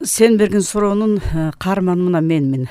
Сен берген суроонун каарманы мына менмин.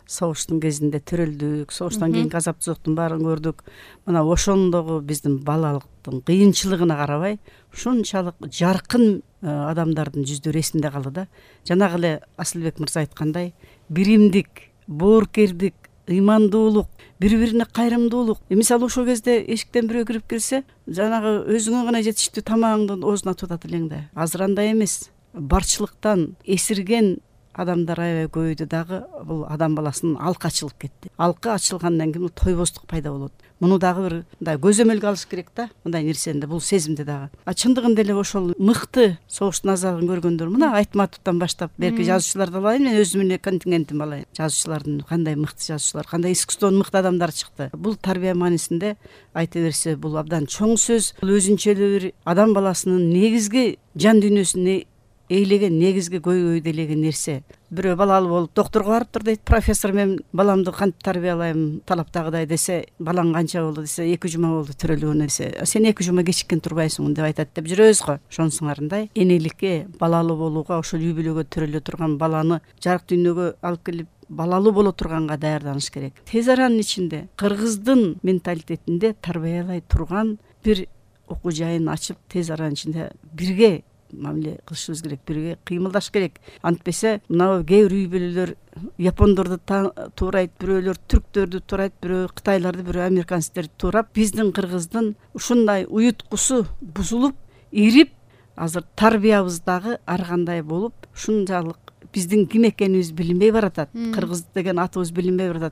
Согуштун кезинде төрөлдүк, согуштан кийинки азаптуулуктун баарын көрдүк. Мына ошондогу биздин балалыктын кыйынчылыгына карабай, ушунчалык жаркын адамдардын жүздөрү эсимде калды да. Жанагы эле Асылбек мырза айткандай, биримдик, боорукердик, ыймандуулук, бири-бирине кайрымдуулук. Мисалы ошол кезде эшиктен бирөө кирип келсе, жанагы өзүңө гана жетиштүү тамагыңды оозуна тутат элең да. Азыр андай эмес. Барчылыктан эсирген адамдар аябай көбөйдү дагы. Бул адам баласынын алкы ачылып кетти. Алкы ачылгандан кийин тойбоздук пайда болот. Муну дагы бир мындай көзөмөлгө алыш керек да, мындай нерсени, бул сезимди дагы. Чындыгында эле ошол мыкты согуштун азабын көргөндөр, мына Айтматовдон баштап берки жазуучуларды алайын, мен өзүмдүн контингентимди алайын. Жазуучулардын кандай мыкты жазуучулар, кандай искусствонун мыкты адамдары чыкты. Бул тарбия маанисинде айта берсе, бул абдан чоң сөз. Бул өзүнчө эле бир адам баласынын негизги жан дүйнөсүн эйлеген, негизги көйгөйдөлөгөн нерсе. Бирөө балалуу болуп доктурга барыптыр дейт, профессор мен баламды кантип тарбиялайм талаптагыдай десе, балаң канча болду десе, 2 жума болду төрөлгөнү десе, сен 2 жума кечиккен турбайсың деп айтат деп жүрөбүз го. Ошонусуңарындай энеликке, балалуу болууга, ошол үй бүлөгө төрөлө турган баланы жарык дүйнөгө алып келип балалуу боло турганга даярданыш керек. Тез аранын ичинде кыргыздын менталитетинде тарбиялай турган бир окуу жайын ачып, тез аранын ичинде бирге мамиле кылышыбыз керек, бирге кыймылдаш керек. Антпесе мына кээ бир үй бүлөлөр япондорду туурайт, бирөөлөр түрктөрдү туурайт, бирөө кытайларды, бирөө американецтерди туурап, биздин кыргыздын ушундай уюткусу бузулуп, ирип, азыр тарбиябыз дагы ар кандай болуп, ушунчалык биздин ким экенибиз билинбей баратат. Кыргыз деген атыбыз билинбей баратат.